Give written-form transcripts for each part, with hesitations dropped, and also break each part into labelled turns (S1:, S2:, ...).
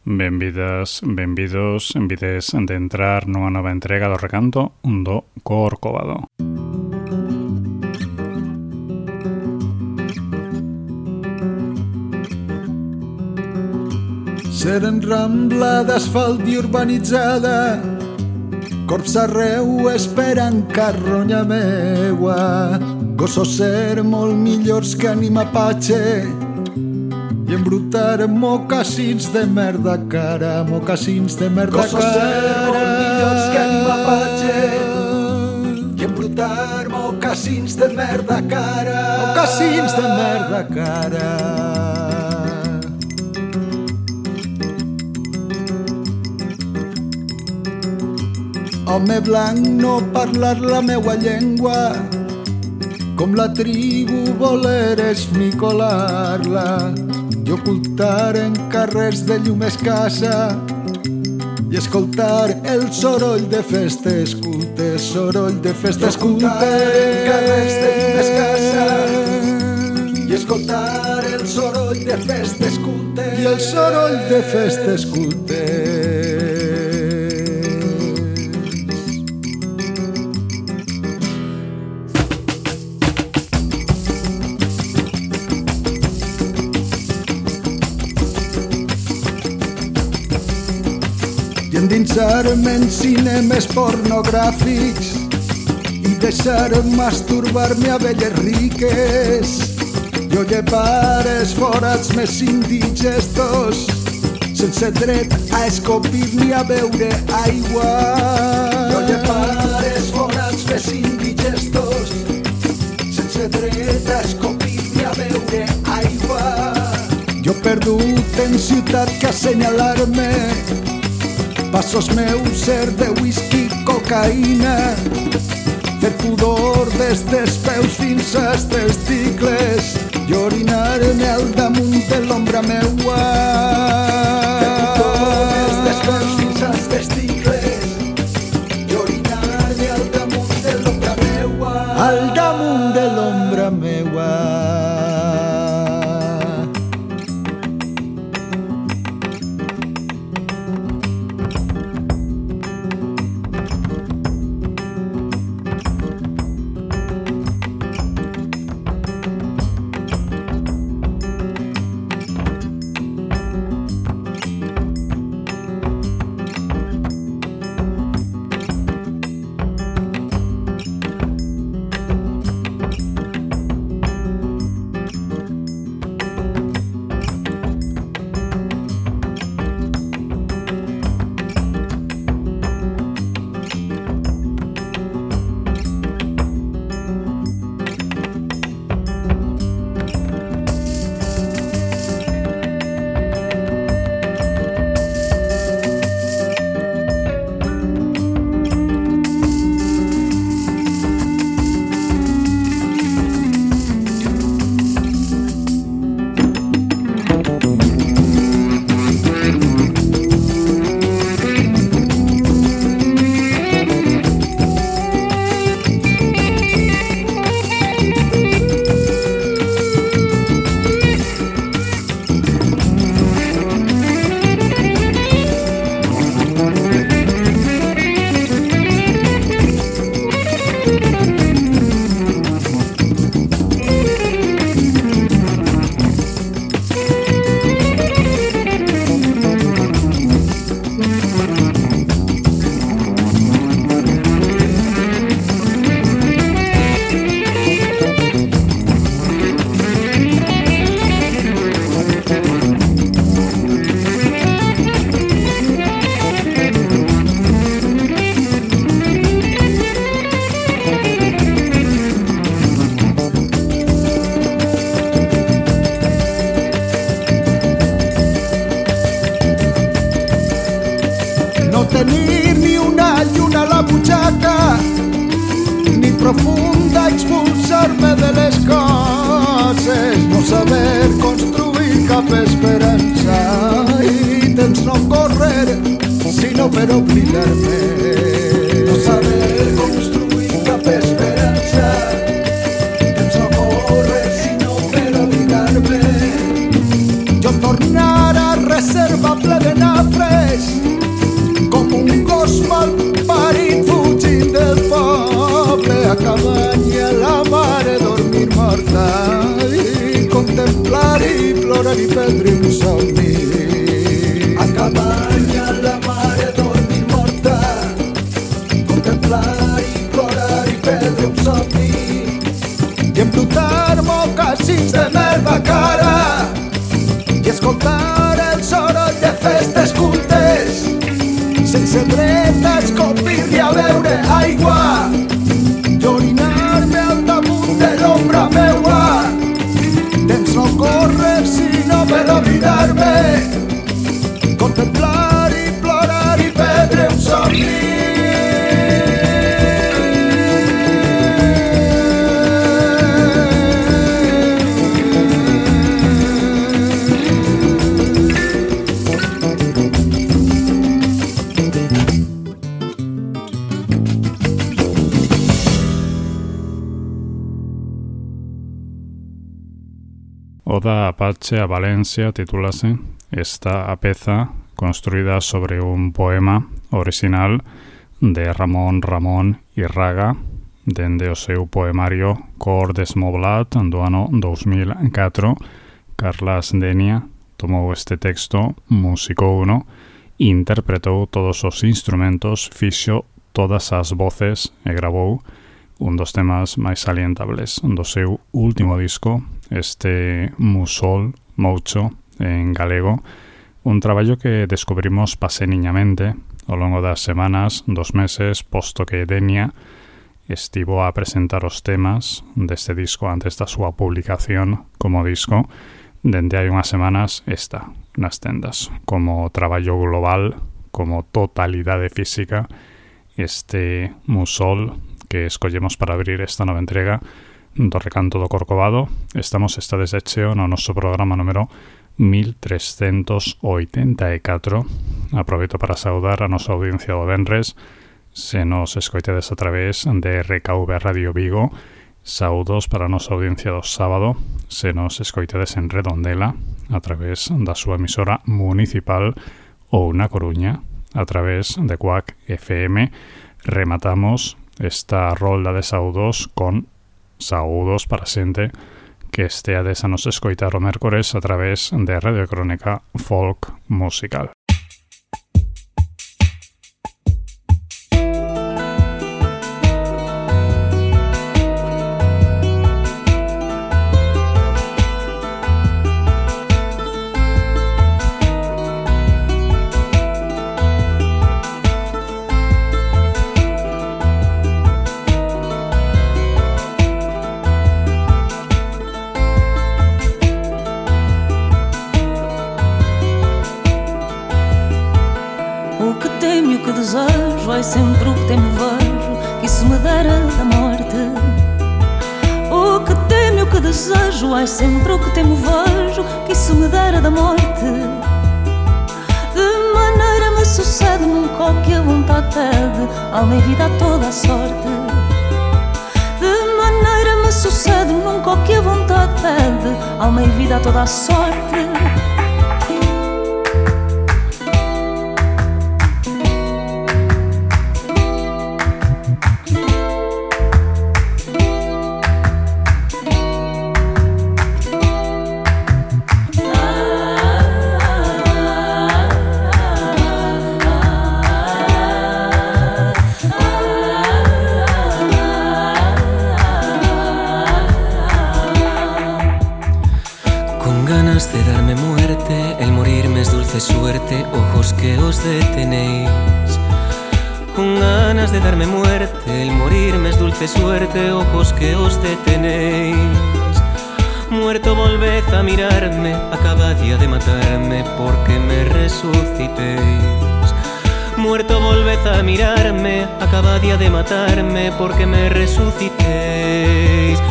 S1: Benvidas, benvidos, envides de entrar nunha nova entrega do recanto do Corcovado.
S2: Seren rambla d'asfalt i urbanitzada, corps arreu esperant carronya meua, gossos ser molt millors que anima patxe i embrutar mocassins de merda cara, mocassins de merda cara. Gossos ser molt millors que anima patxe i embrutar mocassins de merda cara, mocassins de merda cara. Home blanc, no parlar la meua llengua, com la tribu voler esmicolar-la, i ocultar en carrers de llum escassa i escoltar el soroll de festes cultes, soroll de festes cultes. Ocultar en carrers de llum escassa i escoltar el soroll de festes cultes, i el soroll de festes cultes. Endinsar-me en cinemes pornogràfics i deixar masturbar-me a velles riques. Jo llevar els forats més indigestos sense dret a escopir ni a beure aigua. Jo llevar els forats més indigestos sense dret a escopir ni a beure aigua. Jo perdut en ciutat que assenyalar-me, passos meus ser de whisky, cocaïna, fer pudor des dels peus fins als testicles i orinar-me al damunt de l'ombra meua. Fer pudor des dels peus fins als testicles i orinar-me al damunt de l'ombra meua. Al damunt de l'ombra meua. tenir ni una lluna a la butxaca, ni profunda expulsar-me de les coses, no saber construir cap esperança i temps no correr sinó per oblidar-me, no saber construir cap esperança, temps no correr sinó per oblidar-me. Jo tornar a reserva ple de nafres com un gos mal parit fugint del poble, a cabanya la mare dormir morta i contemplar i plorar i perdre un somni. A cabanya la mare dormir morta, contemplar i plorar i perdre un somni, i embrutar mocassins de merda cara i escoltar el soroll de festes cultes sense dret a escopir-li a beure aigua i orinar-me al damunt de l'ombra meua. Temps no correr sinó per oblidar-me, contemplar i plorar i perdre un somni.
S1: Oda Apache a Valencia titúlase esta peza construída sobre un poema original de Ramón y Raga dende o seu poemario Cor Desmoblat do ano 2004. Carlas Denia tomou este texto, musicouno, interpretou todos os instrumentos, fixo todas as voces e gravou un dos temas máis salientables do seu último disco, este Musol Moucho en galego, un traballo que descubrimos paseniñamente ao longo das semanas, dos meses, posto que Denia estivo a presentar os temas deste disco antes da súa publicación como disco. Dende hai unhas semanas está nas tendas como traballo global, como totalidade física, este Musol que escollemos para abrir esta nova entrega do Recanto do Corcovado. Estades de cheo no noso programa número 1384. Aproveito para saudar a nosa audiencia do venres, se nos escoitedes a través de RKV Radio Vigo. Saudos para a nosa audiencia do sábado, se nos escoitedes en Redondela a través da súa emisora municipal ou na Coruña a través de Quack FM. Rematamos esta rolda de saudos con saudos para xente que esteades a nos escoitar o mércores a través de Radio Crónica Folk Musical.
S3: Vai sempre o que temo vejo, que isso me dera da morte. O que temo e o que desejo, ai sempre o que temo vejo, que isso me dera da morte. De maneira me sucede nunca o que a vontade pede, alma e vida a toda a sorte. De maneira me sucede nunca o que a vontade pede, alma e vida a toda a sorte.
S4: De darme muerte, el morirme es dulce suerte, ojos que os detenéis. Con ganas de darme muerte, el morirme es dulce suerte, ojos que os detenéis. Muerto volved a mirarme, acabad ya de matarme porque me resucitéis. muerto volved a mirarme, acabadía de matarme porque me resucitéis.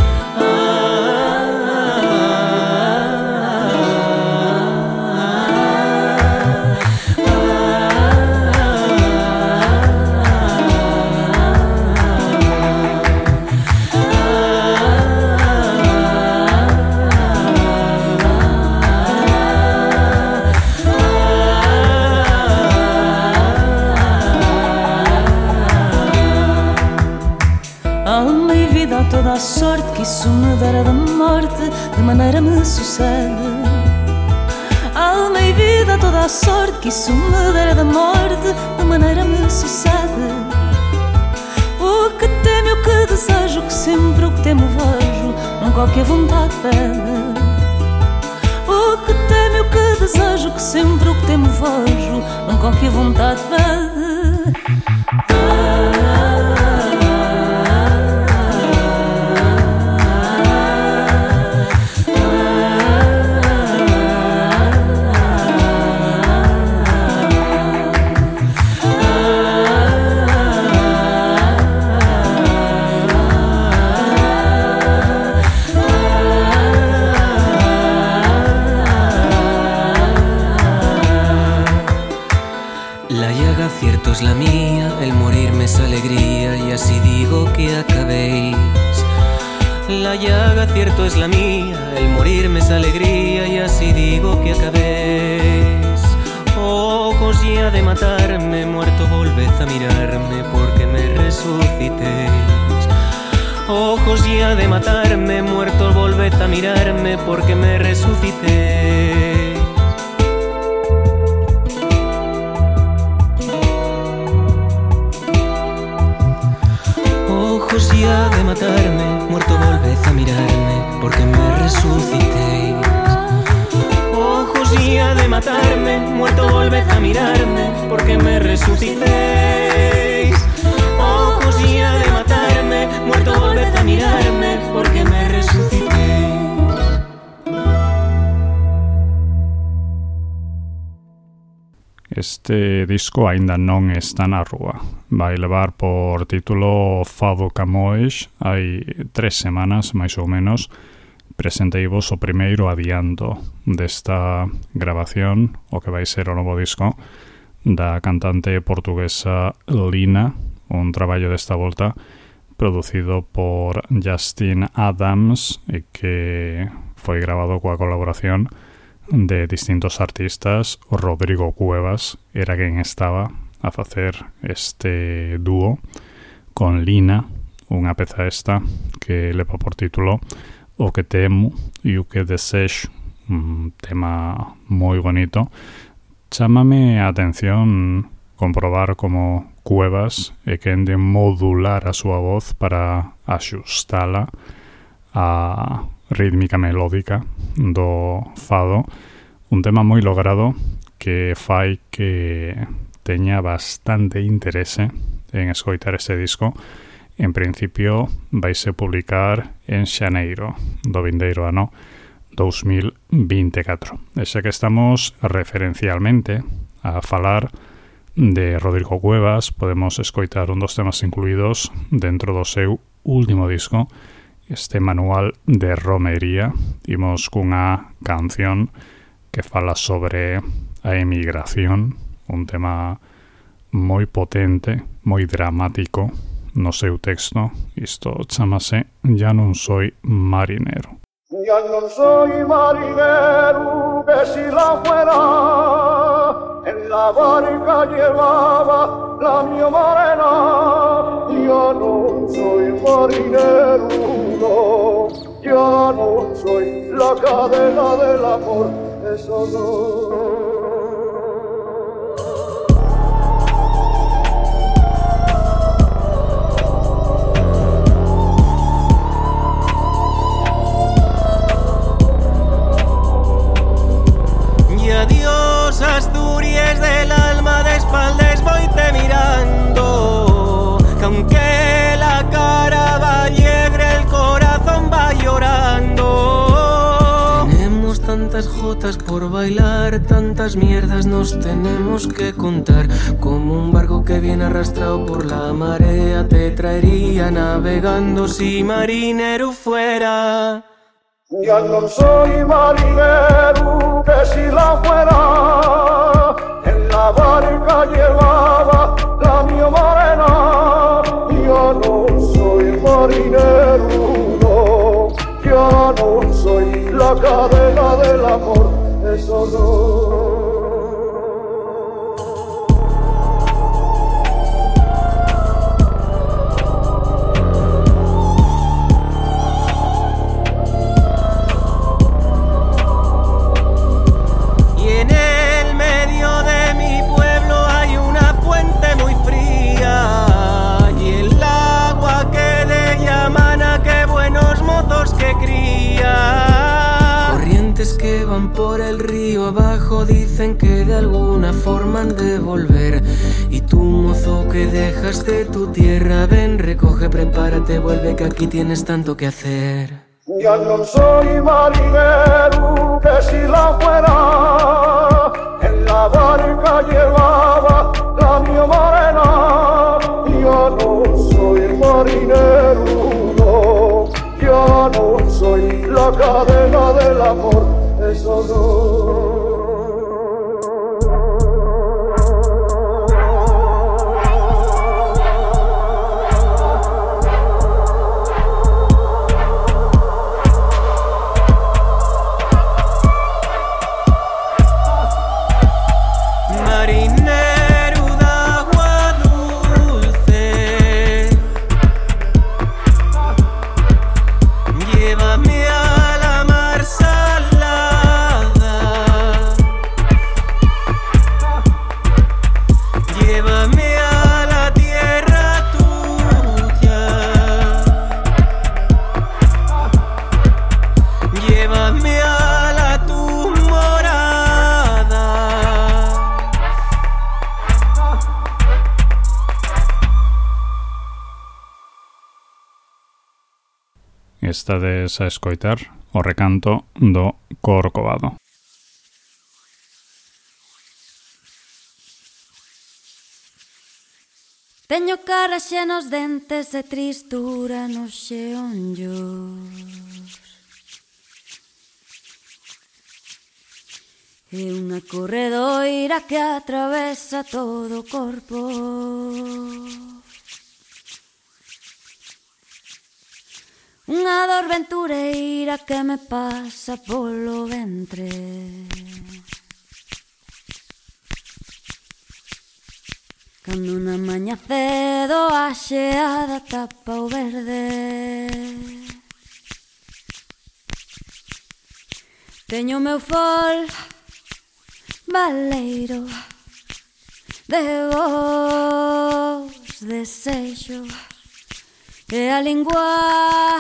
S3: Toda a sorte que isso me dera da morte, de maneira me sucede. Alma e vida, toda a sorte que isso me dera da morte, de maneira me sucede. O que temo e o que desejo, que sempre o que temo vejo, não qualquer vontade pede. O que temo e o que desejo, que sempre o que temo vejo, não qualquer vontade pede.
S4: Cierto es la mía, el morirme es alegría y así digo que acabéis. La llaga cierto es la mía, el morirme es alegría y así digo que acabéis. Ojos ya de matarme, muerto volved a mirarme porque me resucitéis. Ojos ya de matarme, muerto volved a mirarme porque me resucitéis. Ojos ya de matarme, muerto volved a mirarme porque me resucitéis. Ojos ya de matarme, muerto volved a mirarme porque me resucitéis. Ojos ya de matarme, muerto volved a mirarme porque me resucitéis.
S1: Este disco aínda non está na rúa. Vai levar por título Fado Camões. Hai 3 semanas, máis ou menos, presenteivos o primeiro adianto desta grabación, o que vai ser o novo disco da cantante portuguesa Lina, un traballo desta volta producido por Justin Adams e que foi grabado coa colaboración de distintos artistas. O Rodrigo Cuevas era quen estaba a facer este dúo con Lina, unha peza esta que leva por título O que temo e o que desexo, un tema moi bonito. Chámame a atención comprobar como Cuevas é quen de modular a súa voz para axustala a rítmica melódica do fado, un tema moi logrado que fai que teña bastante interese en escoitar este disco. En principio vaise publicar en xaneiro do vindeiro ano 2024. E xa que estamos referencialmente a falar de Rodrigo Cuevas, podemos escoitar un dos temas incluídos dentro do seu último disco, este manual de romería. Imos cunha canción que fala sobre a emigración, un tema moi potente, moi dramático no seu texto. Isto chamase Ya non soy marinero.
S2: Ya no soy marinero, que si la fuera, en la barca llevaba la mi morena. Ya no soy marinero, no, ya no soy la cadena del amor, eso no.
S4: Adiós, Asturias del alma, de espaldas voy-te mirando, que aunque la cara va alegre, el corazón va llorando. Tenemos tanta tantas jotas por bailar, tantas mierdas nos tenemos que contar. Como un barco que viene arrastrado por la marea, te traería navegando si marinero fuera.
S2: Ya no soy marinero, que si la fuera, en la barca llevaba la mi morena. Ya no soy marinero, no, ya no soy la cadena del amor, eso no.
S4: Que van por el río abajo dicen que de alguna forma han de volver. Y tú, mozo, que dejaste tu tierra, ven, recoge, prepárate, vuelve, que aquí tienes tanto que hacer.
S2: Ya no soy marinero, que si la fuera, en la barca llevaba la mi morena. Ya no soy marinero, no, ya no soy la cadena del amor, eso no.
S1: Estades a escoitar o recanto do Corcovado.
S3: Teño cara xa nos dentes e tristura nos xeonllos, e unha corredoira que atravesa todo o corpo. Unha dor ventureira que me pasa polo ventre. Cando na maña cedo a xeada tapa o verde. Teño o meu fol baleiro de vos desexos e a lingua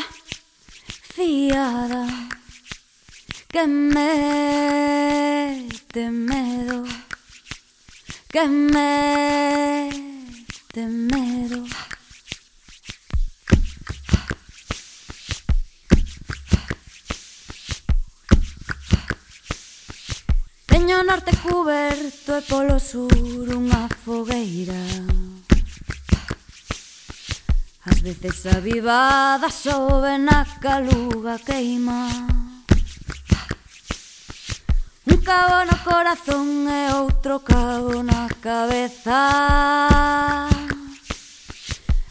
S3: fiada que mete medo, que mete medo. Teño o norte cuberto e polo sur unha fogueira, ás veces avivada sobe na caluga queima. Un cabo no corazón e outro cabo na cabeza.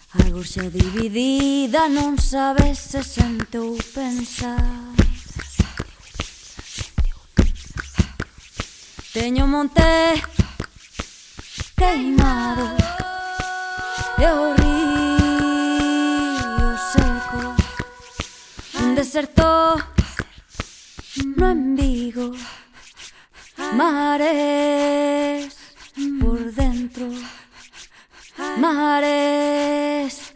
S3: A gorxa dividida non sabe se sente ou pensar. Teño un monte queimado e o río seco, un deserto no en Vigo, mares por dentro, mares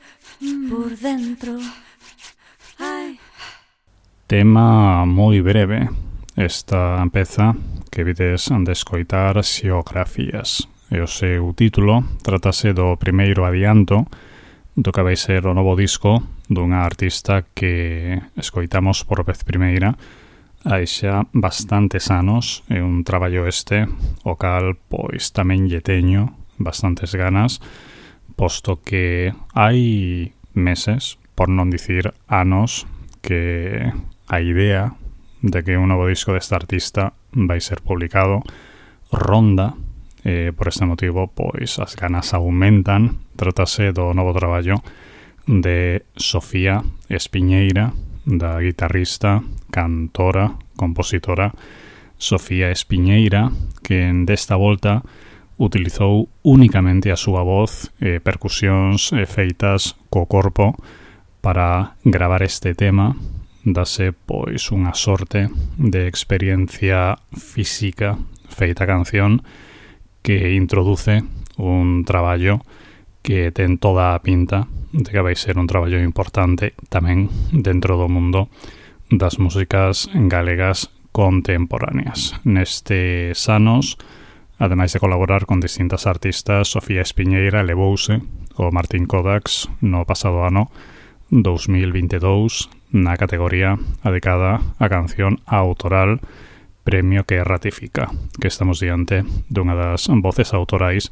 S3: por dentro.
S1: Tema moi breve esta peza que vides de escoitar, Xeografías. E o seu título tratase do primeiro adianto do que vai ser o novo disco dunha artista que escoitamos por vez primeira hai xa bastantes anos, é un traballo este, o cal pois tamén lle teño bastantes ganas, posto que hai meses, por non dicir anos, que a idea de que un novo disco deste artista vai ser publicado ronda. Por este motivo, pois as ganas aumentan. Trátase do novo traballo de Sofía Espiñeira, da guitarrista, cantora, compositora Sofía Espiñeira, que desta volta utilizou únicamente a súa voz e percusións feitas co corpo para gravar este tema. Dase pois unha sorte de experiencia física feita canción que introduce un traballo que ten toda a pinta de que vai ser un traballo importante tamén dentro do mundo das músicas galegas contemporáneas. Nestes anos, ademais de colaborar con distintas artistas, Sofía Espiñeira levouse o Martín Kodax no pasado ano 2022 na categoría dedicada á canción autoral, premio que ratifica que estamos diante dunha das voces autorais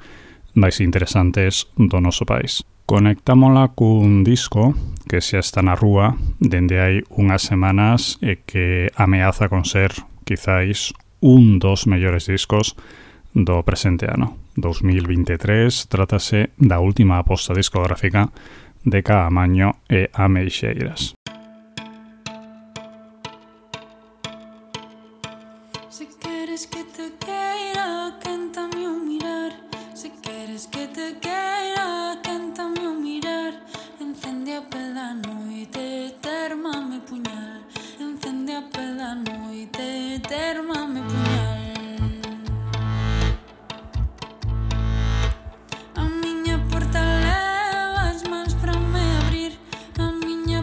S1: máis interesantes do noso país. Conectámola cun disco que xa está na rúa dende hai unhas semanas e que ameaza con ser, quizáis, un dos mellores discos do presente ano. 2023 trátase da última aposta discográfica de Caamaño e Ameixeiras.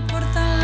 S5: Porta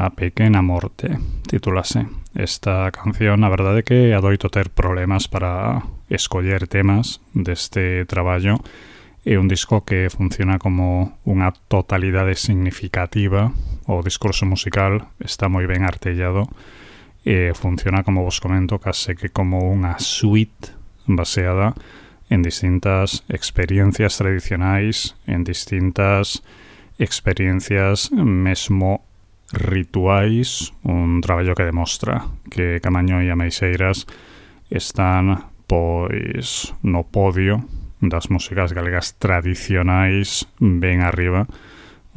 S1: A Pequena Morte, titúlase. Esta canción, a verdade é que adoito ter problemas para escoller temas deste traballo. É un disco que funciona como unha totalidade significativa. O discurso musical está moi ben artellado e funciona, como vos comento, case que como unha suite baseada en distintas experiencias tradicionais, en distintas experiencias mesmo rituais, un traballo que demostra que Caamaño e Ameixeiras están pois no podio das músicas galegas tradicionais ben arriba.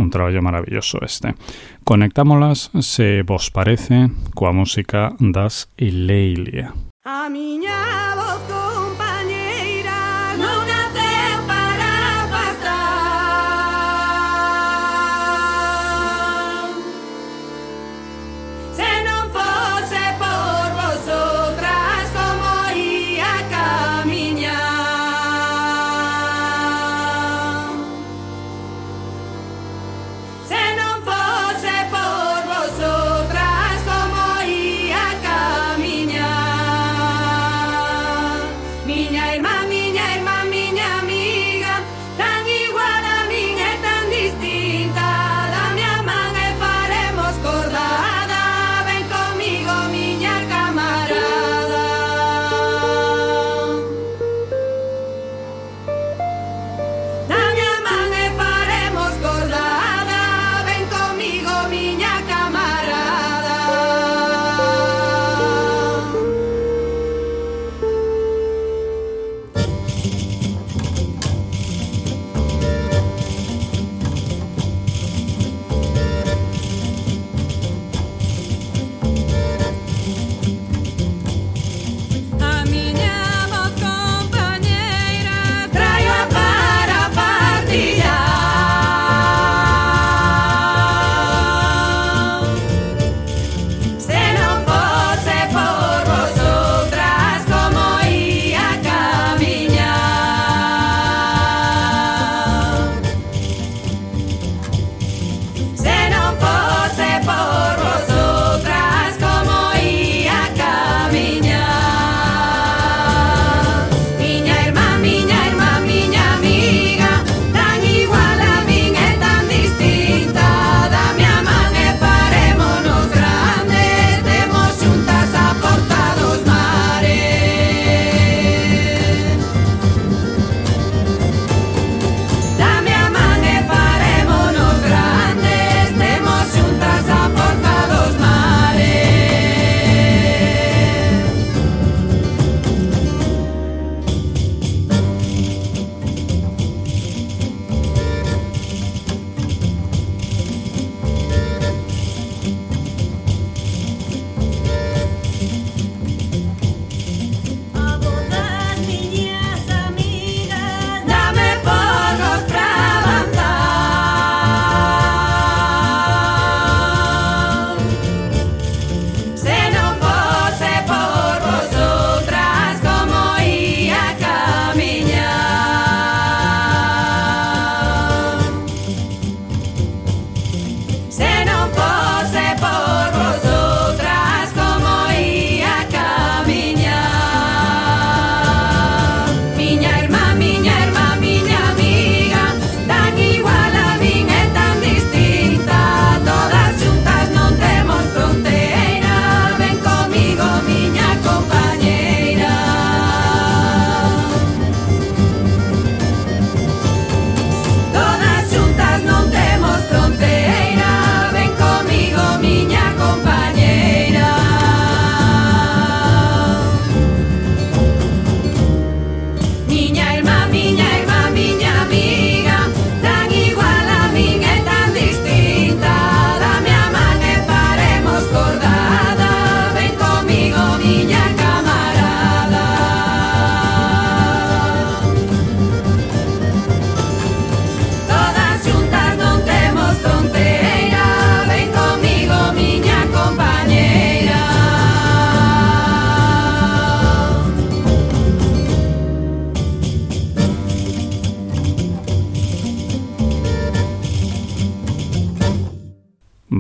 S1: Un traballo maravilloso este. Conectámolas, se vos parece, coa música das Ilelia.
S5: A miña voz compañeira non naceu para afastar. Se non fose por vosotras, como ia camiñar. Se non fose por vosotras, como ia camiñar. Miña irmá, miña amiga, tan igual a min e tan distinta. Dame a man e faremos cordada. Ven comigo, miña camarada. Dame a man e faremos cordada. Ven comigo, miña camarada.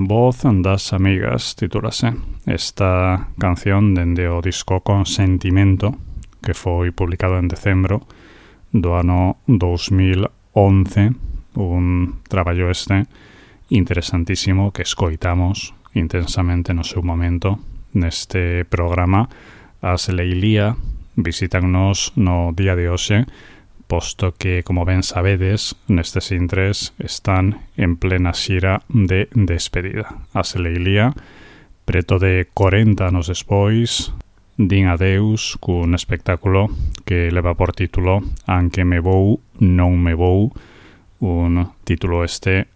S1: voz das amigas, titúlase esta canción dende o disco Consentimento, que foi publicado en decembro do ano 2011, un traballo interesantísimo que escoitamos intensamente no seu momento neste programa. As Leilía visítannos no día de hoxe, posto que, como ben sabedes, nestes intres están en plena xira de despedida. As Leilía, preto de 40 anos despois, din adeus cun espectáculo que leva por título Anque me vou, non me vou, un título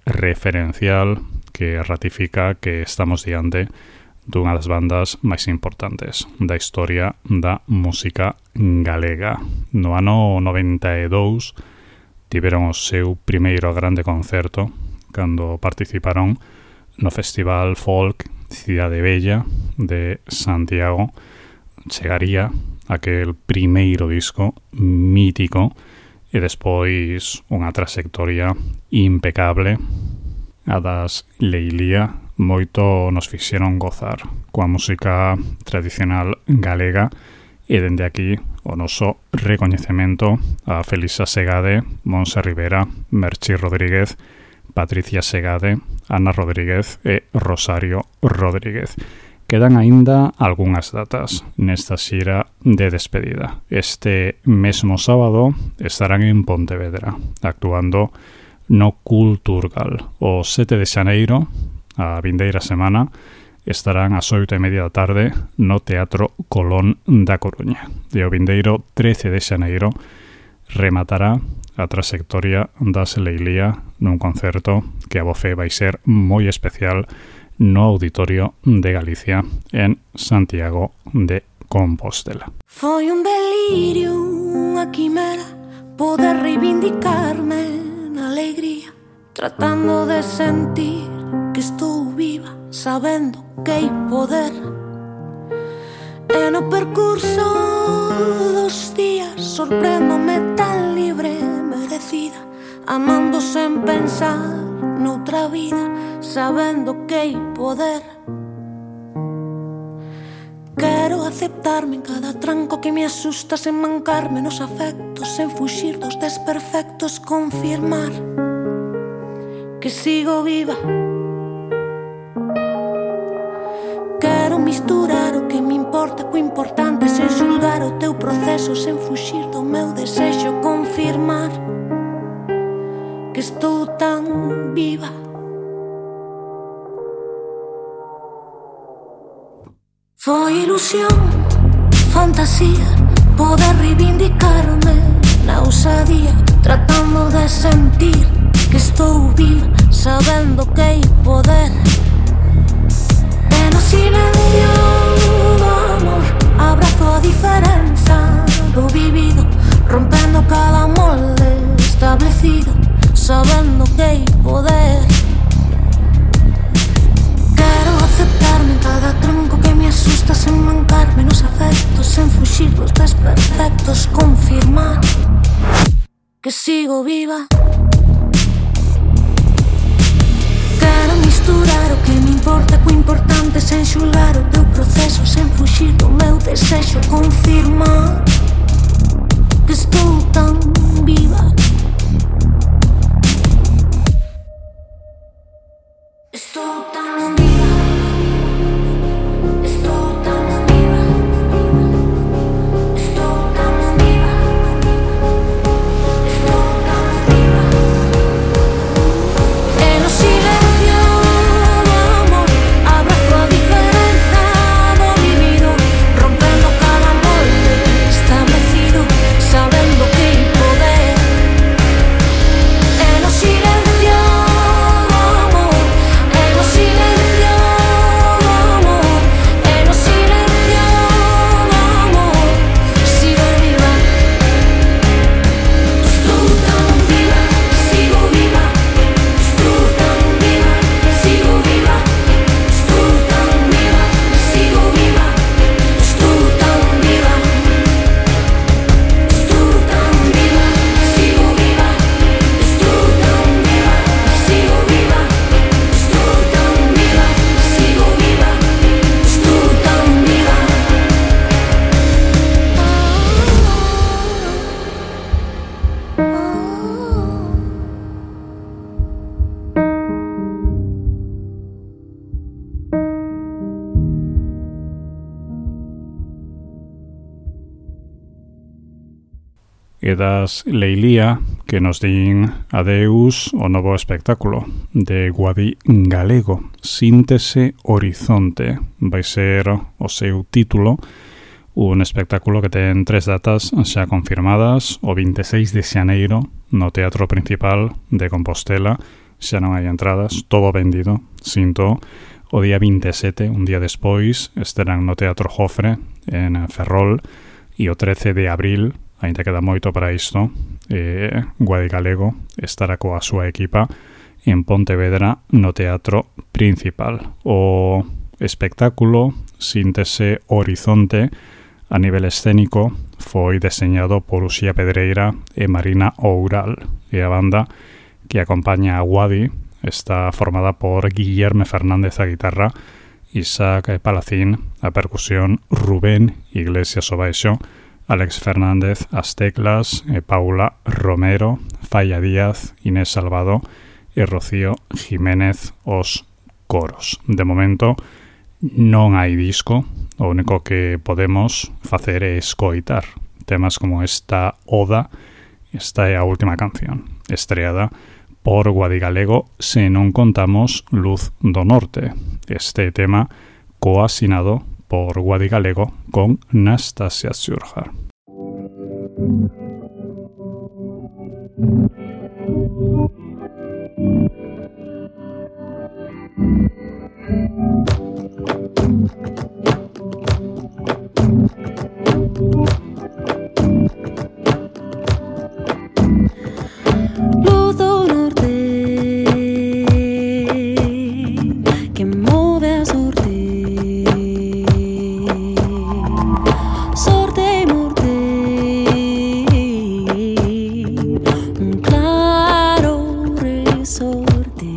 S1: referencial que ratifica que estamos diante dunha das bandas máis importantes da historia da música galega. No ano 92 tiveron o seu primeiro grande concerto cando participaron no Festival Folk Cidade Bella de Santiago. Chegaría aquel primeiro disco mítico e despois unha trayectoria impecable. A das Leilía moito nos fixeron gozar coa música tradicional galega e dende aquí o noso recoñecemento a Felisa Segade, Monse Rivera, Merchi Rodríguez, Patricia Segade, Ana Rodríguez e Rosario Rodríguez. Quedan aínda algunhas datas nesta xira de despedida. Este mesmo sábado estarán en Pontevedra, actuando no Culturgal. O 7 de xaneiro, a vindeira semana, estarán ás 8:30 da tarde no Teatro Colón da Coruña. E o vindeiro 13 de xaneiro rematará a trayectoria das Leilía nun concerto que a voce vai ser moi especial no Auditorio de Galicia en Santiago de Compostela.
S3: Foi un delirio, unha quimera, poder reivindicarme na alegría, tratando de sentir que estou viva, sabendo que hai poder. E no percurso dos días sorprendome tan libre, merecida, amando sen pensar noutra vida, sabendo que hai poder. Quero aceptarme en cada tranco que me asusta, sen mancarme nos afectos, sen fuxir dos desperfectos, confirmar que sigo viva. Quero misturar o que me importa co importante, sen xulgar o teu proceso, sen fuxir do meu desexo, confirmar que estou tan viva. Foi ilusión, fantasía, poder reivindicarme na ousadía, tratando de sentir que estou viva, sabendo que hai poder. E no silencio do amor abrazo a diferenza do vivido, rompendo cada molde establecido, sabendo que hai poder. Quero aceptarme en cada tronco que me asusta, sen mancarme nos afectos, sen fuxir dos desperfectos, confirmar que sigo viva. Quero misturar o que me importa co importante, sen xulgar o teu proceso, sen fuxir do meu desexo, confirmar que estou tan viva. Estou tan viva. Estou tan viva. Estou tan viva. Estou tan viva. E no silencio do amor abrazo a diferenza do vivido, rompendo cada molde establecido.
S1: e das Leilía que nos din adeus o novo espectáculo de Guadi Galego, Síntese Horizonte. Vai ser o seu título, un espectáculo que ten 3 datas xa confirmadas, o 26 de xaneiro no Teatro Principal de Compostela, xa non hai entradas, todo vendido, sinto. O día 27, un día despois, estarán no Teatro Jofre en Ferrol, e o 13 de abril, ainda queda moito para isto, Guadi Galego estará coa súa equipa en Pontevedra no Teatro Principal. O espectáculo Síntese Horizonte a nivel escénico foi deseñado por Uxía Pedreira e Marina Oural, e a banda que acompaña a Guadi está formada por Guillerme Fernández a guitarra, Isaac Palacín a percusión, Rubén Iglesias o baixo, Alex Fernández as teclas, Paula Romero, Falla Díaz, Inés Salvado e Rocío Jiménez os coros. De momento non hai disco, o único que podemos facer é escoitar temas como esta Oda. Esta é a última canción estreada por Guadi Galego, se non contamos Luz do Norte. Este tema coasinado por Guadi Galego con Nastasia Surjar.
S3: Luz do Norte que move a sorte, sorte e morte, un claro resorte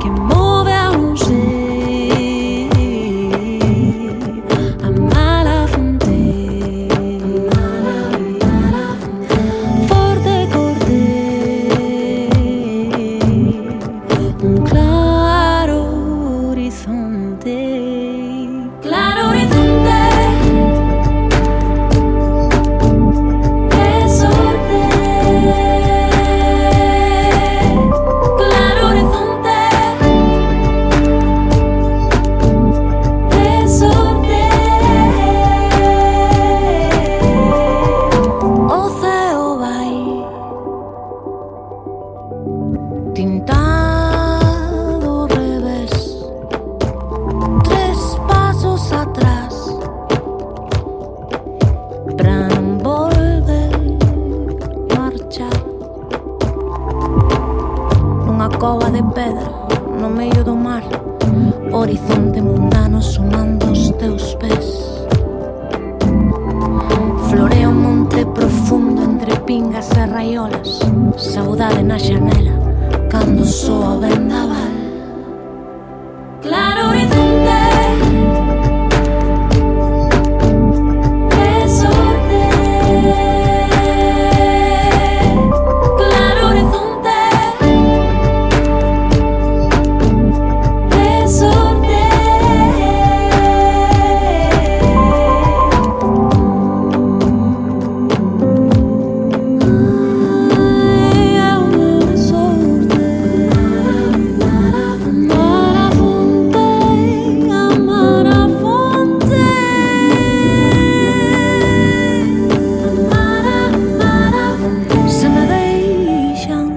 S3: que move a non ser a mala fonte, forte corte, un claro horizonte, claro horizonte, che sorte, claro horizonte, che sorte, o ceo vai tintado ao revés, 3 pasos atrás, pra non volver marchar. Nunha cova de pedra no medio do mar, horizonte mundano sonando os teus pés. Florea un monte profundo entre pingas e raiolas, saudade na xanela cando soa o vendaval. Claro horizonte, que sorte, claro horizonte, que sorte. Ai, é unha sorte. Amar a fonte, amar a fonte. Se me deixan,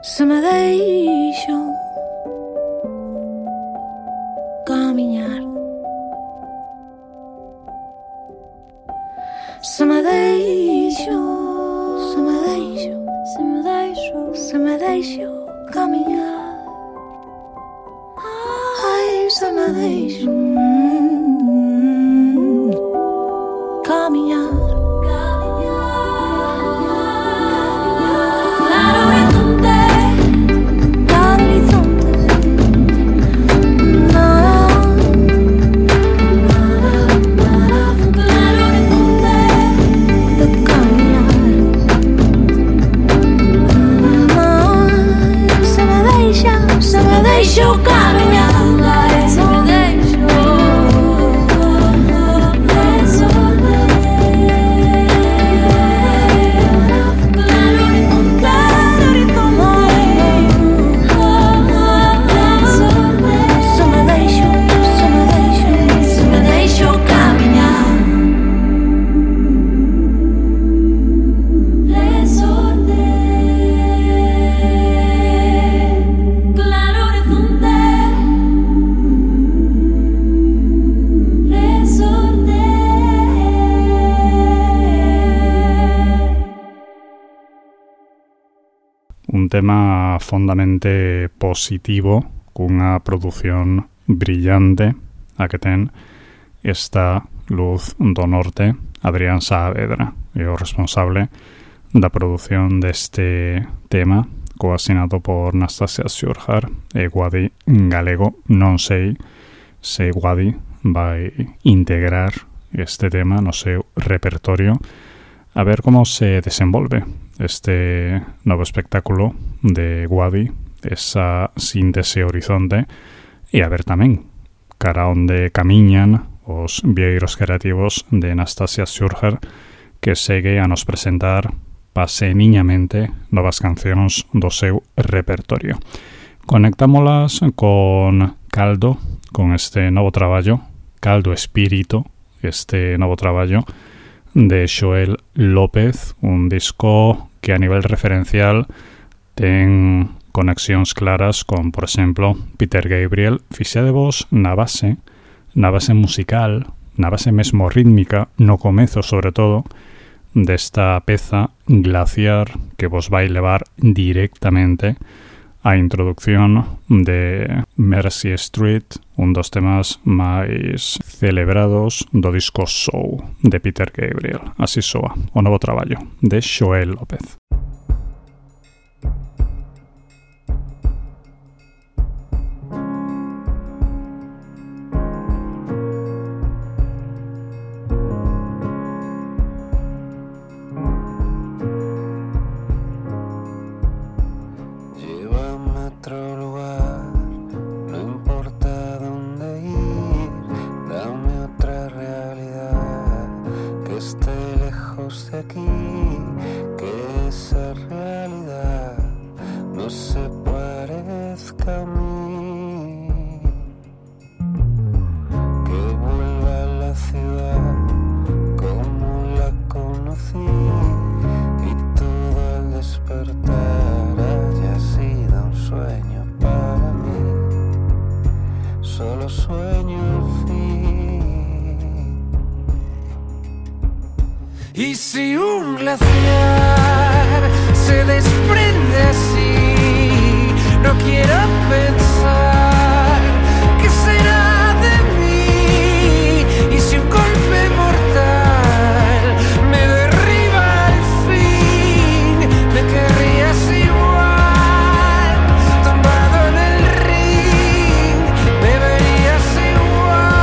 S3: se me deixo camiñar, se me deixo, se me deixo, se me deixo, se me deixo camiñar, ai, se me deixo camiñar. Claro horizonte, claro horizonte, claro horizonte de camiñar. Ai, se me deixo camiñar.
S1: tema fondamente positivo, cunha produción brillante a que ten esta Luz do Norte. Adrián Saavedra é o responsable da produción deste tema, coasinado por Nastasia Sjurhar e Guadi Galego. Non sei se Guadi vai integrar este tema no seu repertorio, a ver como se desenvolve este novo espectáculo de Guadi, esa síntese horizonte, e a ver tamén cara onde camiñan os vieiros creativos de Nastasia Sjurhar, que segue a nos presentar paseniñamente novas cancións do seu repertorio. Conectámolas con Caldo, con este novo traballo, Caldo Espírito, este novo traballo de Xoel López, un disco que a nivel referencial ten conexións claras con, por exemplo, Peter Gabriel. Fixadevos na base musical, na base mesmo rítmica, no comezo sobre todo, desta peza Glaciar, que vos vai levar directamente a introducción de Mercy Street, un dos temas máis celebrados do disco Show de Peter Gabriel. Así soa o novo traballo de Xoel López.
S6: Y si un glaciar se desprende así, no quiero pensar qué será de mí. Y si un golpe mortal me derriba al fin, me querrías igual, tumbado en el ring, me verías igual.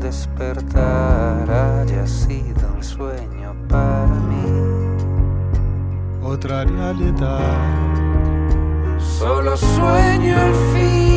S6: Despertar haya sido un sueño para mí,
S2: otra realidad.
S6: Solo sueño el fin.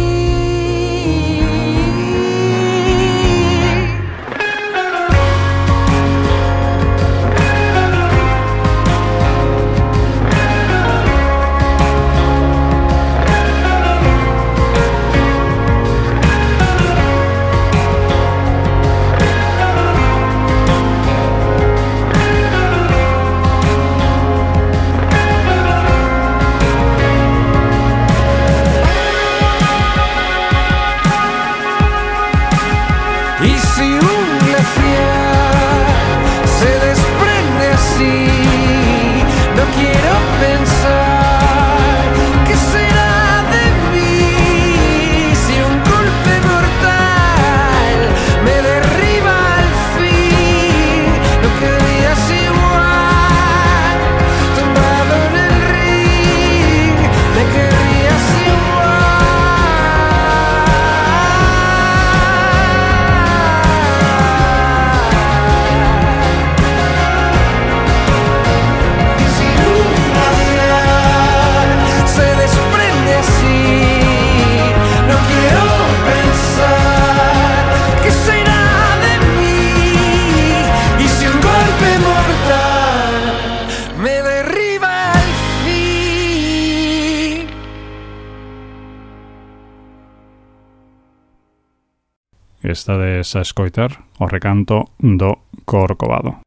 S1: estades a escoitar o recanto do Corcovado.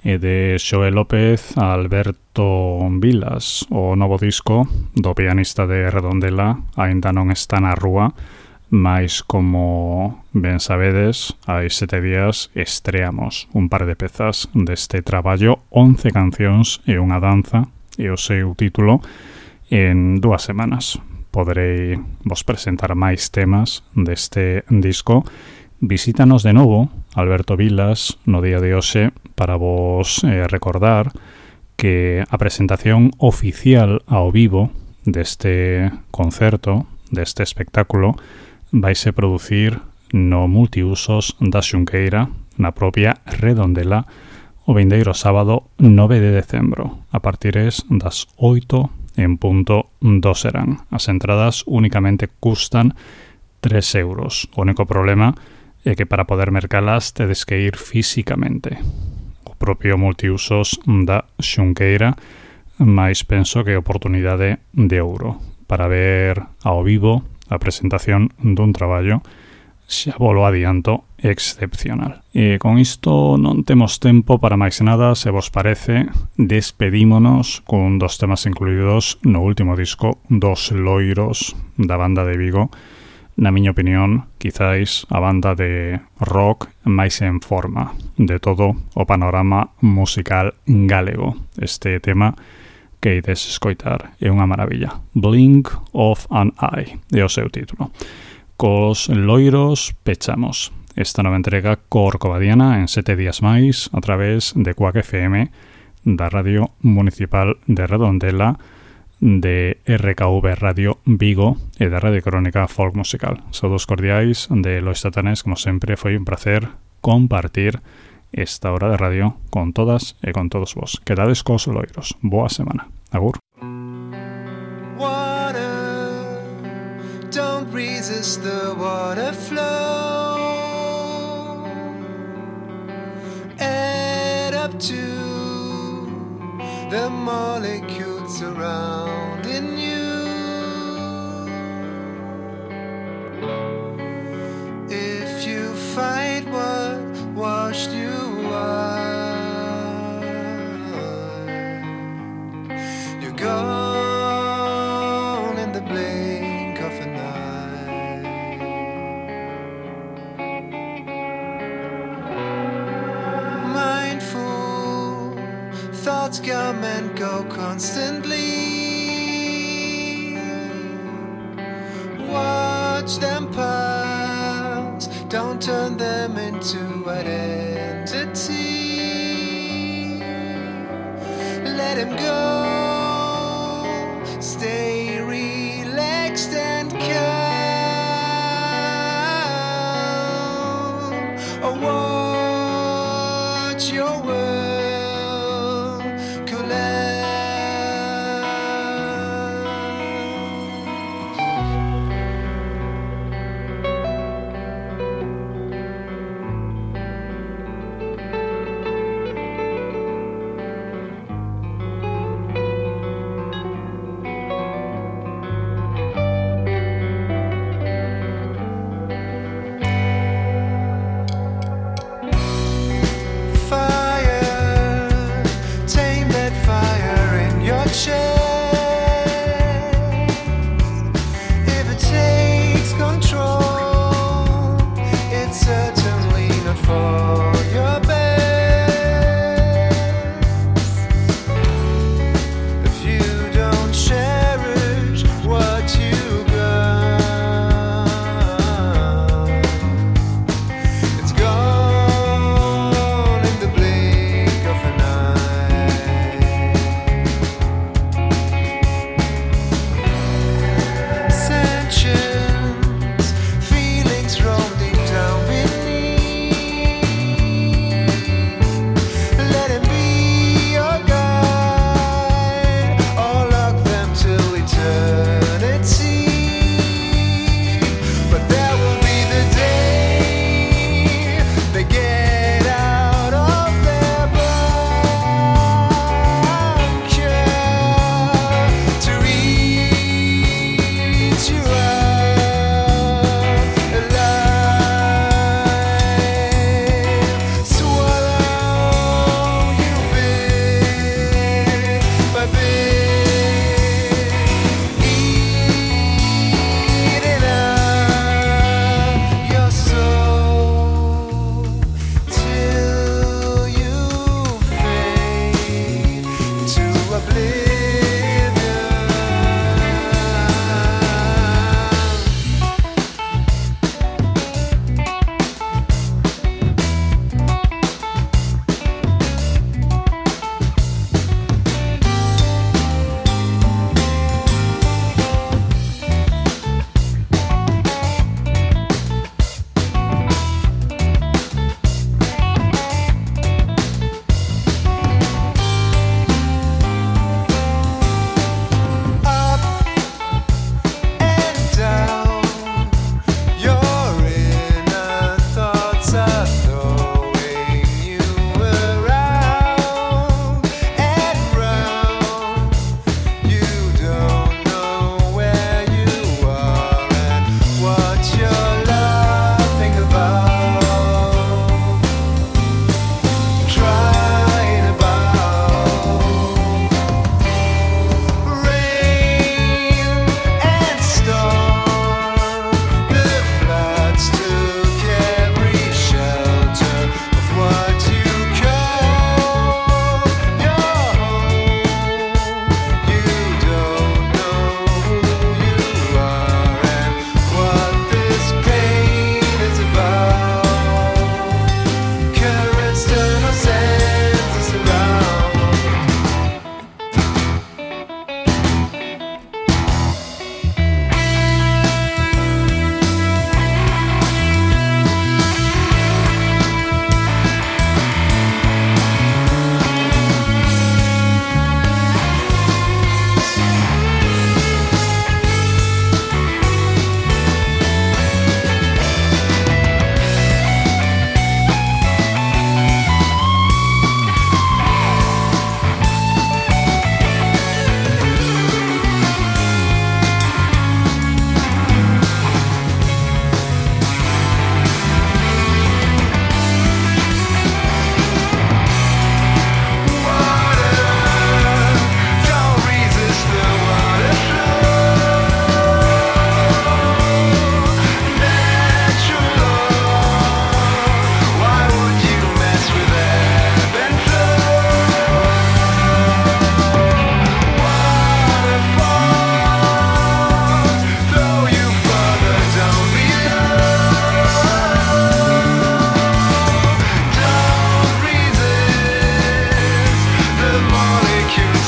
S1: e de Xoel López a Alberto Vilas, o novo disco do pianista de Redondela Aínda non está na rúa, mais como ben sabedes, hai 7 días estreamos un par de pezas deste traballo, 11 cancións e unha danza, e o seu título. En 2 semanas poderei vos presentar máis temas deste disco. Visítanos de novo Alberto Vilas no día de hoxe para vos recordar que a presentación oficial ao vivo deste concerto, deste espectáculo, vaise producir no Multiusos da Xunqueira, na propia Redondela, o vindeiro sábado 9 de decembro, a partires das 8 en punto do serán. As entradas únicamente custan 3 euros. O único problema é que para poder mercalas tedes que ir físicamente. O propio Multiusos da Xunqueira, mais penso que oportunidade de ouro para ver ao vivo a presentación dun traballo, xa volo adianto, excepcional. E con isto non temos tempo para máis nada. Se vos parece, despedímonos con 2 temas incluídos no último disco dos Loiros, da banda de Vigo. Na miña opinión, quizáis a banda de rock máis en forma de todo o panorama musical galego. Este tema que ides escoitar é unha maravilla. Blink of an Eye é o seu título. Cos Loiros pechamos esta nova entrega corcovadiana en 7 días máis a través de Cuac FM, da Radio Municipal de Redondela, de RKV Radio Vigo e da Radio Crónica Folk Musical. Saúdos cordiais de Lois Satanés. Como sempre, foi un placer compartir esta hora de radio con todas e con todos vos. Quedades cos Loiros. Boa semana. Agur.
S7: Water, don't resist the water flow. Add up to the molecules surrounding you. If you fight what washed you out, you're gone in the blink of an eye. Mindful thoughts come and go constantly. Watch them pass, don't turn them into identity. Let him go. Stay relaxed and calm. Or watch your world collapse. Fire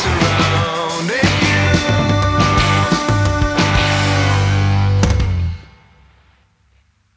S7: surround